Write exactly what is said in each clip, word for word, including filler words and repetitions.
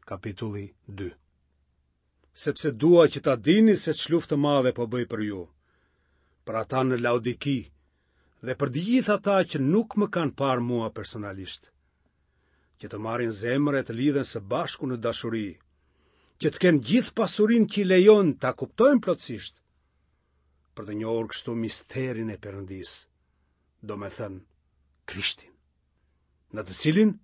Kapitulli dy. Sepse dua që ta dini se ç'luftë të madhe po bëj për ju, për ata në Laodiki dhe për të gjithë ata që nuk më kanë parë mua personalisht, që të marrin zemër e të lidhen së bashku në dashuri, që të kenë gjithë pasurinë që i lejon ta kuptojnë plotësisht, për të njohur kështu misterin e Perëndisë, domethënë Krishtin, në të cilin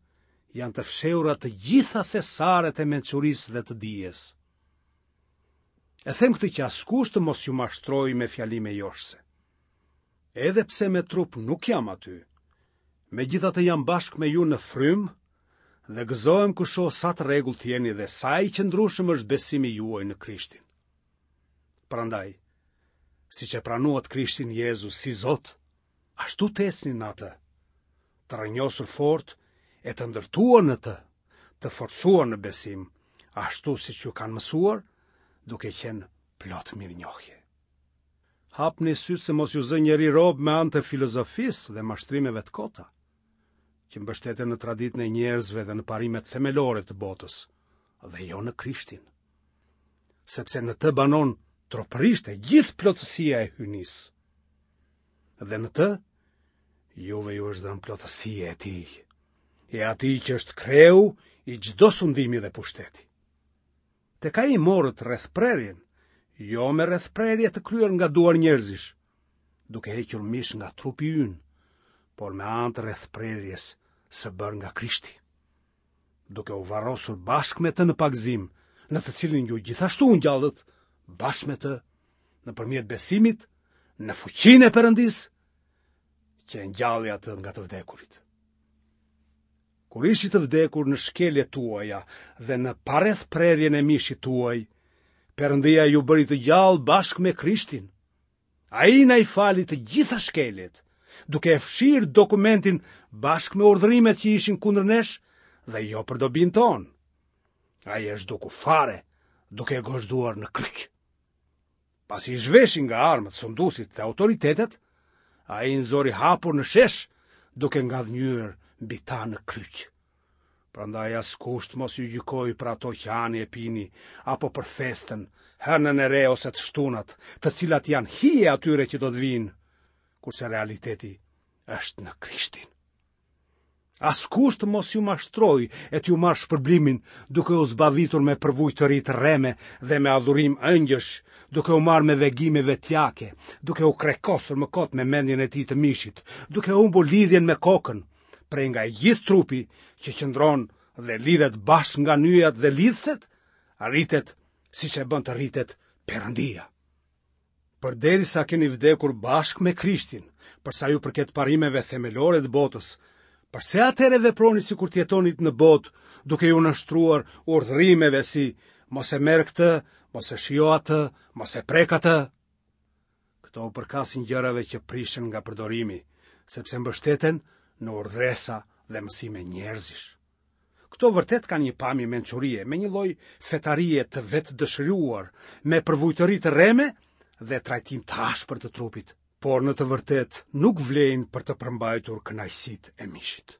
janë të fshehura të gjitha thesaret e mençurisë dhe të dijes. E them këtë që askush të mos ju mashtrojë me fjalime joshëse. Edhe pse me trup nuk jam aty, megjithatë jam bashkë me ju në frymë dhe gëzohem kur shoh sa të rregullt jeni dhe sa i qëndrueshëm është besimi juaj në Krishtin. Prandaj, siç e pranuat Krishtin Jezus si Zot, ashtu të ecni në atë, të rrënjosur fort e të ndërtuar në të, të forcuar në besim, ashtu siç ju kanë mësuar, duke qenë plot mirënjohje. Hapni sytë se mos ju zë njeri rob me anë të filozofisë dhe mashtrimeve të kota, që mbështeten në traditën e njerëzve dhe në parimet themelore të botës, dhe jo në Krishtin. Sepse në të banon tropërisht e gjithë plotësia e hyjnisë. Dhe në të, juve ju është dhënë plotësia e tij, e atij që është kreu i çdo sundimi dhe pushteti. Tek ai morët rrethprerjen, jo me rrethprerje të kryer nga duar njerëzish, duke hequr mish nga trupi ynë, por me anë të rrethprerjes së bërë nga Krishti, duke u varrosur bashkë me të në pagëzim, në të cilin ju gjithashtu u ngjallët bashkë me të nëpërmjet besimit në fuqinë e Perëndisë, që e ngjalli atë nga të vdekurit. Kur ishit të vdekur në shkeljet tuaja dhe në parrethprerjen e mishit tuaj, Perëndia ju bëri të gjallë bashkë me Krishtin. Ai na i fali të gjitha shkeljet, duke e fshirë dokumentin bashkë me urdhërimet që ishin kundër nesh dhe jo për dobinë tonë. Ai e zhduku fare, duke e gozhduar në kryq. Pasi i zhveshi nga armët, sunduesit dhe autoritetet, ai i nxori hapur në shesh, duke ngadhënjyer mbi ta në kryq. Prandaj askush të mos ju gjykojë për ato që hani e pini, apo për festën, hënën e re ose të shtunat, të cilat janë hije e atyre që do të vijnë, kurse realiteti është në Krishtin. Askush të mos ju mashtrojë e t'ju marrë shpërblimin, duke u zbavitur me përvujtëri të rreme dhe me adhurim engjëjsh, duke u marrë me vegime vetjake, duke u krekosur më kot me mendjen e tij të mishit, duke humbur lidhjen me kokën, prej nga i gjithë trupi që qëndron dhe lidhet bashkë nga nyjat dhe lidhëset, rritet siç e bën të rritet Perëndia. Përderisa keni vdekur bashkë me Krishtin, për sa ju përket parimeve themelore të botës, përse atëherë veproni sikur të jetonit në botë, duke iu nënshtruar urdhërimeve si mos e merr këtë, mos e shijo atë, mos e prek atë? Këto u përkasin gjërave që prishen nga përdorimi, sepse mbështeten në urdhëresa dhe mësime njerëzish. Këto vërtet kanë një pamje mençurie, me një lloj fetarie të vetëdëshiruar, me përvujtëri të rreme dhe trajtim të ashpër të trupit, por në të vërtetë nuk vlejnë për të përmbajtur kënaqësitë e mishit.